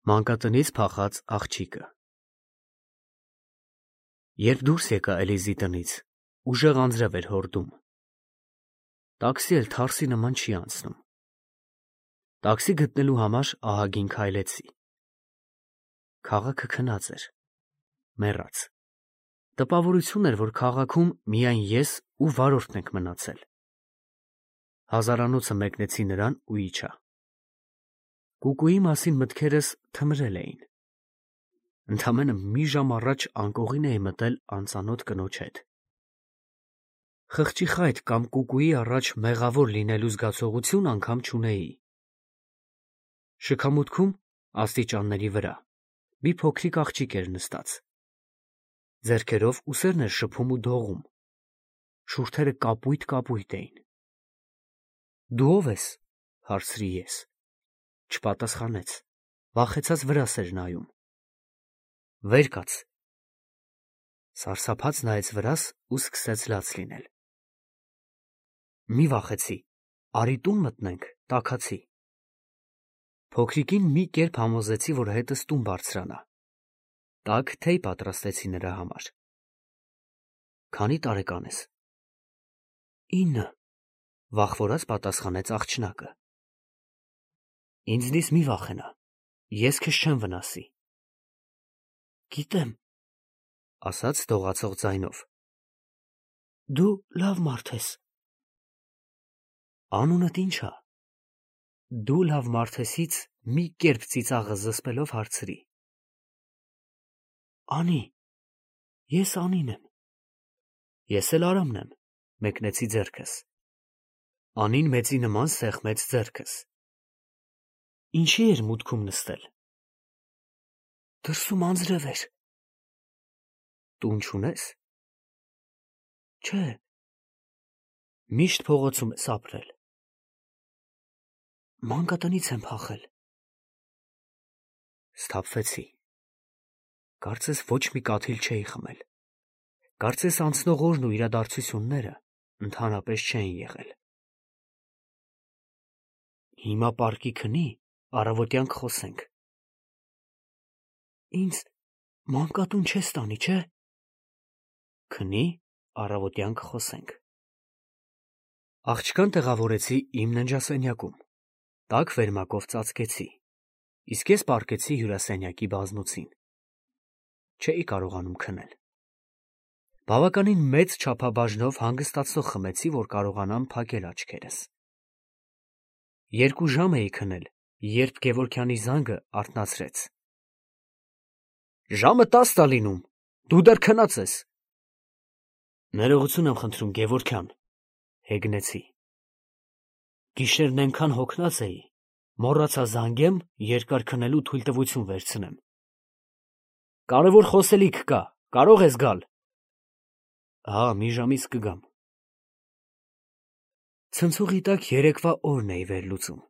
Մանկատնից փախած աղջիկը։ Երբ դուրս եկա Էլիզի տնից, ուժեղ անձրև էր հորդում։ Տաքսի էլ թարսի նման չի անցնում։ Տաքսի գտնելու համար ահագին քայլեցի։ Քաղաքը քնած էր, մեռած։ Տպավորություն էր, որ քաղաքում միայն ես ու վարորդն ենք մնացել։ Հազարանոցը մեկնեցի նրան ու իջա։ Կուկուի մասին մտքերս թմրել էին։ Ընդամենը մի ժամ առաջ անկողին էի մտել անծանոթ կնոջ հետ։ Խղճի խայտ կամ կուկուի առաջ մեղավոր լինելու զգացողություն անգամ չունեի։ Շքամուտքում, աստիճանների վրա, մի փոքրիկ աղջիկ էր նստած։ Ձեռքերով ուսերն էր շփում ու դողում։ Շուրթերը կապույտ էին։ Դու ո՞վ ես, հարցրի ես։ Չպատասխանեց, վախեցած վրաս էր նայում։ Վեր կաց։ Սարսափած նայեց վրաս ու սկսեց լաց լինել։ Մի վախեցի, արի տուն մտնենք, տաքացի։ Փոքրիկին մի կերպ համոզեցի, որ հետս տուն բարձրանա։ Տաք թեյ պատրաստեցի նրա համար։ Քանի տարեկան ես։ 9, վախվորած պատասխանեց աղջնակը։ Ինձնից մի վախենա, ես քեզ չեմ վնասի։ Գիտեմ, ասաց դողացող ձայնով։ Դու լավ մարդ ես։ Անունդ ի՞նչ ա։ Դու լավ մարդ եսից մի կերպ ծիծաղը զսպելով հարցրի։ Անի, ես Անին եմ։ Ես էլ Արամն եմ, մեկնեցի ձեռքս։ Անին մեծի նման սեղմեց ձեռքս։ Ինչի էր մուտքում նստել։ Դրսում անձրև էր։ Տուն չունես։ Չէ։ Միշտ փողոցում ես ապրել։ Մանկատնից եմ փախել։ Սթափվեցի։ Կարծես ոչ մի կաթիլ չէի խմել։ Կարծես անցնող օրն ու իրադարձությունները ընդհանրապես չէին եղել։ Հիմա պարկի քնի, առավոտյան կխոսենք։ Ինձ մանկատուն չես տանի, չէ։ Քնի, առավոտյան կխոսենք։ Աղջկան տեղավորեցի իմ ննջասենյակում, տաք վերմակով ծածկեցի, իսկ ես պառկեցի հյուրասենյակի բազմոցին։ Չէի կարողանում քնել։ Բավականին մեծ չափաբաժնով հանգստացող խմեցի, որ կարողանամ փակել աչքերս։ 2 ժամ էի քնել, երբ Գևորգյանի զանգը արթնացրեց։ Ժամը 10 ա լինում, դու դեռ քնած ես։ Ներողություն եմ խնդրում, Գևորգյան, հեգնեցի։ Գիշերն այնքան հոգնած էի, մոռացա զանգեմ, երկար քնելու թույլտվություն վերցնեմ։ Կարևոր խոսելիք կա, կարող ես գալ։ Հա, մի ժամից կգամ։ Ցնցուղի տակ երեկվա օրն էի վերլուծում։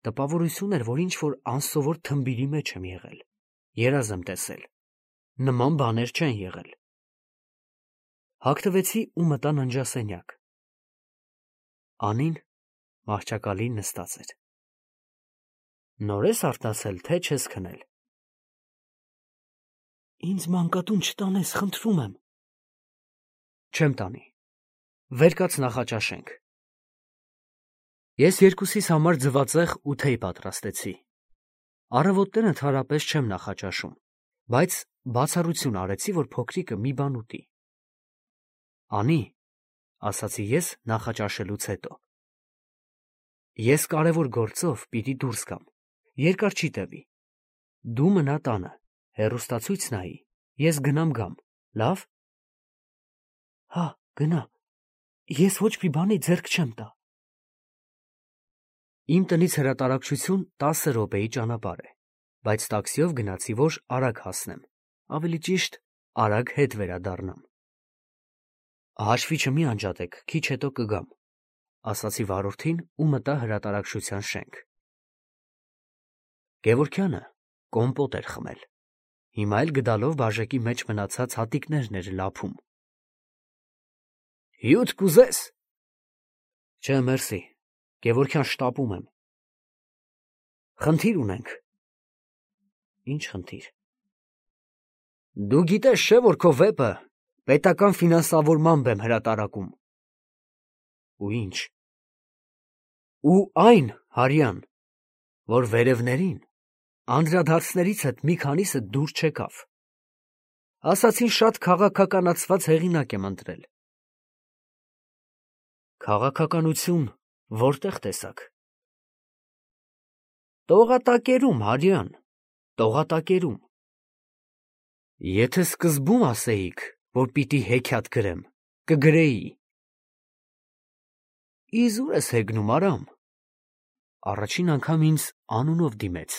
Տպավորություն էր, որ ինչ-որ անսովոր թմբիրի մեջ եմ եղել, երազ եմ տեսել, նման բաներ չեն եղել։ Հագնվեցի ու մտա ննջասենյակ։ Անին մահճակալին նստած էր։ Նոր ես արթնացել, թե չես քնել։ Ինձ մանկատուն չտանես, խնդրում եմ։ Չեմ տանի։ Վեր կաց նախաճաշենք։ Ես երկուսիս համար ձվածեղ ու թեյ պատրաստեցի։ Առավոտները ընդհանրապես չեմ նախաճաշում, բայց բացառություն արեցի, որ փոքրիկը մի բան ուտի։ Անի, ասացի ես նախաճաշելուց հետո։ Ես կարևոր գործով պիտի դուրս գամ, երկար չի տևի։ Դու մնա տանը, հեռուստացույց նայի, ես գնամ գամ, լավ։ Հա, գնա, ես ոչ մի բանի ձեռք չեմ տա։ Իմ տնից հրատարակչություն 10 րոպեի ճանապարհ է, բայց տաքսիով գնացի, որ արագ հասնեմ, ավելի ճիշտ, արագ հետ վերադառնամ։ Հաշվի չմի անջատեք, քիչ հետո կգամ, ասացի վարորդին ու մտա հրատարակչության շենք։ Գևորգյանը կոմպոտ էր խմել, հիմա էլ գդալով բաժակի մեջ մնացած հատիկներն էր լափում։ Հյութ կուզես։ Չէ, մերսի, Գևորգյան, շտապում եմ։ Խնդիր ունենք, Ինչ խնդիր։ Դու գիտես չէ, որ քո վեպը պետական ֆինանսավորմամբ եմ հրատարակում։ Ու ինչ։ Ու այն, Հարյան, որ վերևներին անդրադարձներից հետ մի քանիսը դուր չեկավ։ Ասացին շատ քաղաքականացված հեղինակ եմ ընտրել։ Քաղաքականություն որտեղ տեսակ։ Տողատակերում, Հարյան, տողատակերում։ Եթե սկզբում ասեիք, որ պիտի հեքիաթ գրեմ, կգրեի։ Իզուր ես հեգնում, Արամ։ Առաջին անգամ ինձ անունով դիմեց,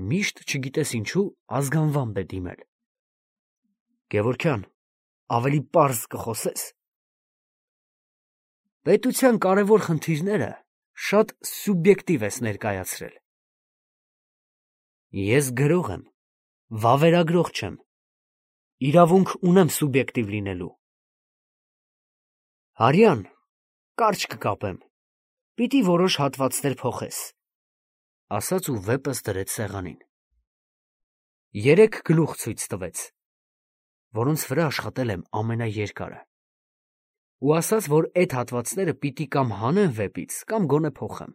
միշտ չգիտես ինչու ազգանվամբ է դիմել։ Գևորգյան, ավելի պարզ կխոսես։ Պետության կարևոր խնդիրները շատ սուբյեկտիվ ես ներկայացրել։ Ես գրող եմ, վավերագրող չեմ։ Իրավունք ունեմ սուբյեկտիվ լինելու։ Հարյան, կարճ կկապեմ, պիտի որոշ հատվածներ փոխես, ասաց ու վեպս դրեց սեղանին։ 3 գլուխ ցույց տվեց, որոնց վրա աշխատել եմ ամենաերկարը, ու ասաց, որ այդ հատվածները պիտի կամ հանեմ վեպից, կամ գոնե փոխեմ։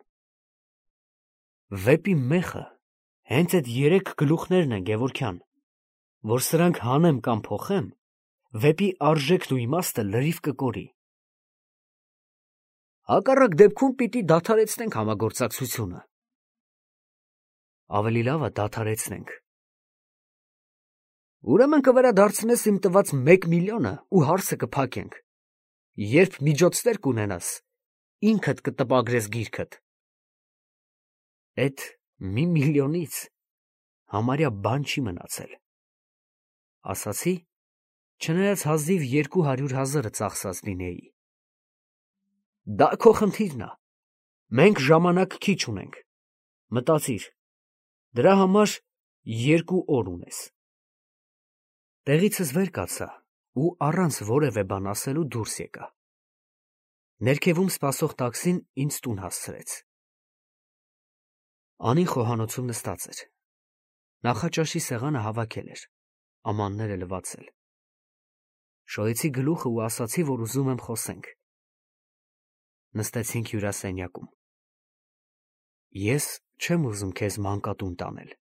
Վեպի մեխը հենց այդ 3 գլուխներն են, Գևորգյան, որ սրանք հանեմ կամ փոխեմ, վեպի արժեքն ու իմաստը լրիվ կկորի։ Հակառակ դեպքում պիտի դադարեցնենք համագործակցությունը։ Ավելի լավ է դադարեցնենք։ Ուրեմն կվերադարձնես իմ տված 1 միլիոնը ու հարցը կփակենք։ Երբ միջոցներ կունենաս, ինքդ կտպագրես գիրքդ։ Էդ 1 միլիոնից համարյա բան չի մնացել։ Ասացի, չնայած հազիվ 200,000-ը ծախսած լինեի։ Դա քո խնդիրն է։ Մենք ժամանակ քիչ ունենք։ Մտածիր, դրա համար 2 օր ունես։ Տեղիցս վեր կացա ու առանց որևէ բան ասելու դուրս եկա։ Ներքևում սպասող տաքսին ինձ տուն հասցրեց։ Անին խոհանոցում նստած էր։ Նախաճաշի սեղանը հավաքել էր, ամանները լվացել։ Շոյեցի գլուխը ու ասացի, որ ուզում եմ խոսենք։ Նստեցինք հյուրասենյակում։ Ես չեմ ուզում քեզ մանկատուն տանել,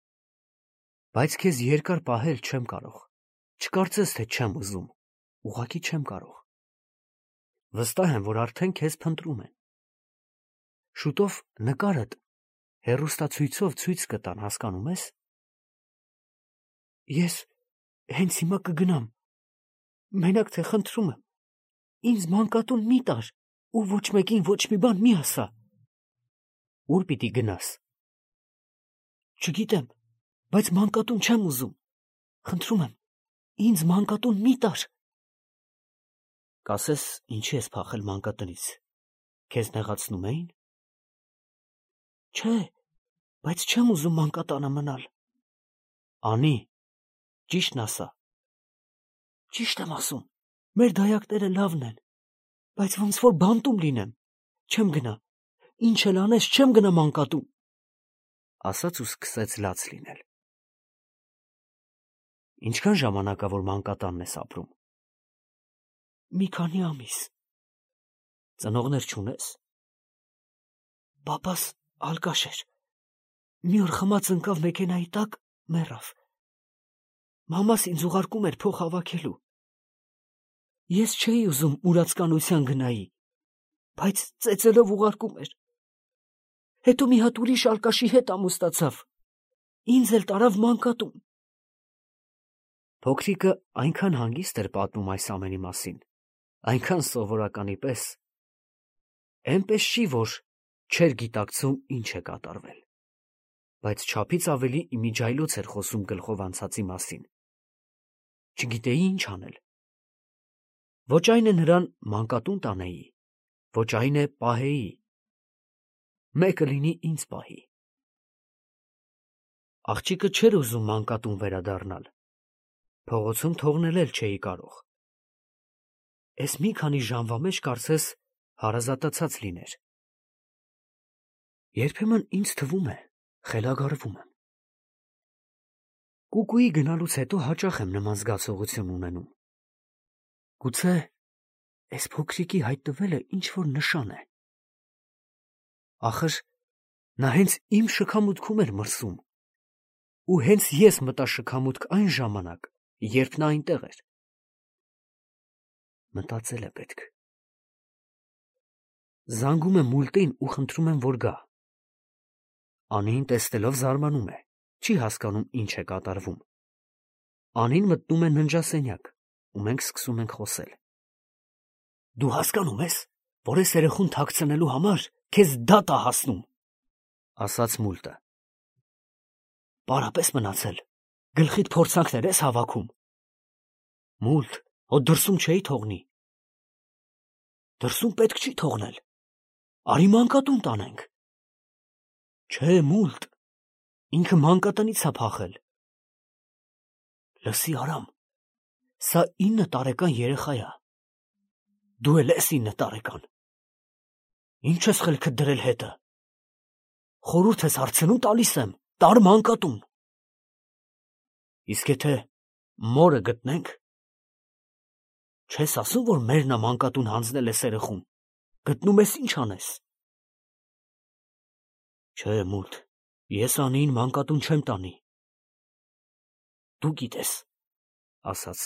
բայց քեզ երկար պահել չեմ կարող։ Չկարծես, թե չեմ ուզում, ուղղակի չեմ կարող։ Վստահ եմ, որ արդեն քեզ փնտրում են։ Շուտով նկարդ հեռուստացույցով ցույց կտան, հասկանում ես։ Ես հենց հիմա կգնամ, մենակ թե խնդրում եմ, ինձ մանկատուն մի տար ու ոչ մեկին ոչ մի բան մի ասա։ Ուր պիտի գնաս։ Չգիտեմ, բայց մանկատուն չեմ ուզում։ Խնդրում եմ, ինձ մանկատուն մի տար։ Կասես, ինչի ես փախել մանկատնից։ Քեզ նեղացնում էին։ Չէ, բայց չեմ ուզում մանկատանը մնալ։ Անի, ճիշտն ասա։ Ճիշտ եմ ասում, մեր դայակները լավն են, բայց ոնց որ բանտում լինեմ, չեմ գնա, ինչ էլ անես, չեմ գնա մանկատուն, ասաց ու սկսեց լաց լինել։ Ինչքան ժամանակ ա որ մանկատանն ես ապրում։ Մի քանի ամիս։ Ծնողներ չունես։ Պապաս ալկաշ էր։ Մի օր խմած ընկավ մեքենայի տակ, մեռավ։ Մամաս ինձ ուղարկում էր փող հավաքելու։ Ես չէի ուզում ուրացկանության գնայի, բայց ծեծելով ուղարկում էր։ Հետո մի հատ ուրիշ ալկաշի հետ ամուսնացավ։ Ինձ էլ տարավ մանկատուն։ Փոքրիկը այնքան հանգիստ էր պատմում այս ամենի մասին, այնքան սովորականի պես, այնպես չի, որ չէր գիտակցում ինչ է կատարվել, բայց չափից ավելի իմիջայլոց էր խոսում գլխով անցածի մասին։ Չգիտեի ինչ անել։ Ոչ այն է նրան մանկատուն տանեի, ոչ այն է պահեի։ Մեկը լինի ինձ պահի։ Աղջիկը չէր ուզում մանկատուն վերադառնալ։ Փողոցում թողնել էլ չէի կարող։ Էս մի քանի ժամվա մեջ կարծես հարազատացած լիներ։ Երբեմն ինձ թվում է, խելագարվում եմ։ Կուկուի գնալուց հետո հաճախ եմ նման զգացողություն ունենում։ Գուցե այս փոքրիկի հայտնվելը ինչ-որ նշան է։ Ախր նա հենց իմ շքամուտքում էր մրսում, ու հենց ես մտա շքամուտք այն ժամանակ, երբ նա այնտեղ էր։ Մտածել է պետք։ Զանգում եմ մուլտին ու խնդրում եմ, որ գա։ Անին տեսնելով զարմանում է, չի հասկանում ինչ է կատարվում։ Անին մտնում է ննջասենյակ, ու մենք սկսում ենք խոսել։ Դու հասկանում ես, որ այս երեխուն թաքցնելու համար քեզ դատ է հասնում, ասաց մուլտը։ Պարապես մնացել, գլխիդ փորձանքներ ես հավաքում։ Մուլտ, հո դրսում չէի թողնի։ Դրսում պետք չի թողնել։ Արի մանկատուն տանենք։ Չէ, մուլտ, ինքը մանկատնից է փախել։ Լսի Արամ, սա 9 տարեկան երեխա է։ Դու էլ ես 9 տարեկան։ Ինչ ես խելքդ դրել հետը։ Խորհուրդ ես հարցնում տալիս եմ, տար մանկատուն։ Իսկ եթե մորը գտնենք, չես ասում, որ մերն է մանկատուն հանձնել ես երեխուն։ Գտնում ես ինչ անես։ Չէ, մուլտ, ես Անիին մանկատուն չեմ տանի։ Դու գիտես, ասաց,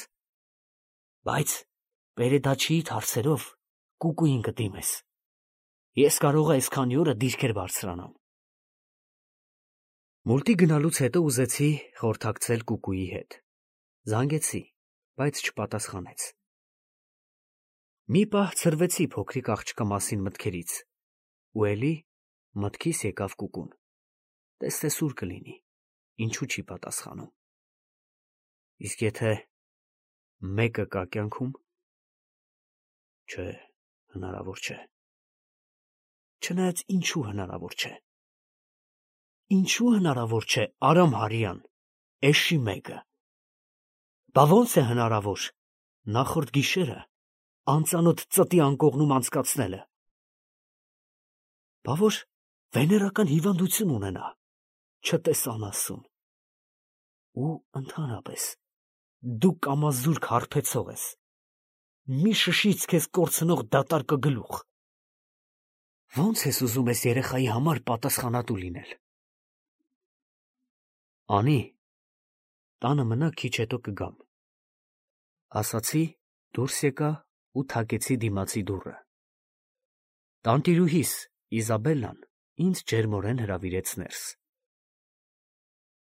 բայց Պերեդաչիիդ հարցերով Կուկուին կդիմես։ Ես կարող եմ այսքանի օրը դիրքեր բարձրանամ։ Մուլտի գնալուց հետո ուզեցի խորհրդակցել Կուկուի հետ։ Զանգեցի, բայց չպատասխանեց։ Մի պահ ցրվեցի փոքրիկ աղջկա մասին մտքերից, ու էլի մտքիս եկավ Կուկուն։ Տեստեսուր կլինի, ինչու չի պատասխանում։ Իսկ եթե մեկը կա կյանքում, չէ, հնարավոր չէ։ Չնայած ինչու հնարավոր չէ։ Ինչու հնարավոր չէ, Արամ Հարյան, էշի մեկը։ Բա ոնց է հնարավոր նախորդ գիշերը անծանոթ ծտի անկողնում անցկացնելը։ Բա որ վեներական հիվանդություն ունենա, չտեսան ասուն։ Ու ընդհանրապես դու կամազուրկ հարբեցող ես, մի շշից քեզ կորցնող դատարկ գլուխ։ Ոնց ես ուզում ես երեխայի համար պատասխանատու լինել։ Անի, տանը մնա, քիչ հետո կգամ, ասացի, դուրս եկա ու թակեցի դիմացի դուռը։ Տանտիրուհիս Իզաբելլան ինձ ջերմորեն հրավիրեց ներս։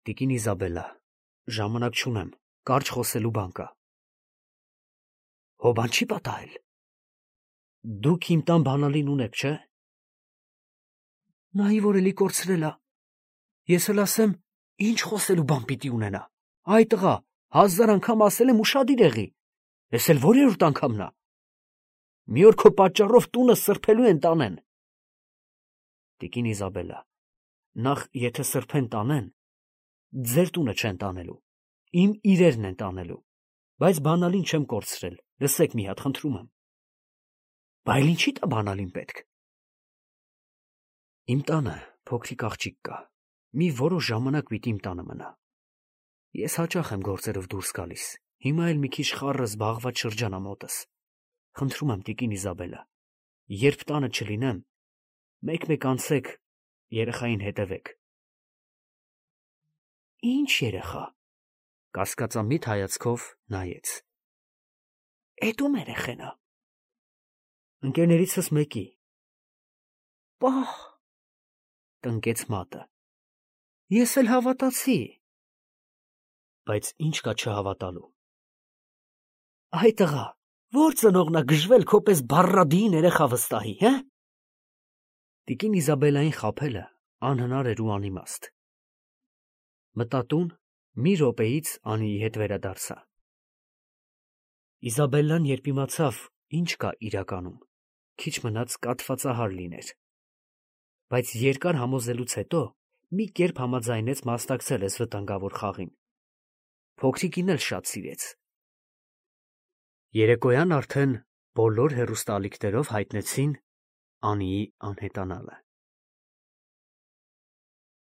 Տիկին Իզաբելլա, ժամանակ չունեմ, կարճ խոսելու բան կա։ Հո բան չի պատահել։ Դուք իմ տան բանալին ունեք, չէ։ Նայի որ էլի կորցրել ա։ Ես էլ ասեմ, ինչ խոսելու բան պիտի ունենա։ Այ տղա, 1000 անգամ ասել եմ ուշադիր եղի։ Ես էլ որերորդ անգամն ա։ Մի օր քո պատճառով տունը սրբելու են տանեն։ Տիկին Իզաբելլա, նախ եթե սրբեն տանեն, ձեր տունը չեն տանելու, իմ իրերն են տանելու, բայց բանալին չեմ կորցրել, լսեք մի հատ, խնդրում եմ։ Բայց ինչի՞ տա բանալին պետք։ Իմ տանը փոքրիկ աղջիկ կա, մի որոշ ժամանակ պիտի իմ տանը մնա։ Ես հաճախ եմ գործերով դուրս գալիս, հիմա էլ մի քիչ խառը զբաղված շրջան ա մոտս։ Խնդրում եմ, տիկին Իզաբելլա, երբ տանը չլինեմ, մեկ-մեկ անցեք, երեխային հետևեք։ Ինչ երեխա։ Կասկածամիտ հայացքով նայեց։ Էդ ում երեխեն ա։ Ընկերներիցս մեկի։ Պահ, տնկեց մատը։ Ես էլ հավատացի։ Բայց ինչ կա չհավատալու։ Այ տղա, որ ծնողնա գժվել քո պես բառադին երեխա վստահի, հե։ Տիկին Իզաբելլային խաբելը անհնար էր ու անիմաստ։ Մտա տուն, մի րոպեից Անիի հետ վերադարձա։ Իզաբելլան երբ իմացավ, ինչ կա իրականում, քիչ մնաց կաթվածահար լիներ։ Բայց երկար համոզելուց հետո մի կերպ համաձայնեց մասնակցել այս վտանգավոր խաղին։ Փոքրիկին էլ շատ սիրեց։ Երեկոյան արդեն բոլոր հեռուստաալիքներով հայտնեցին Անիի անհետանալը։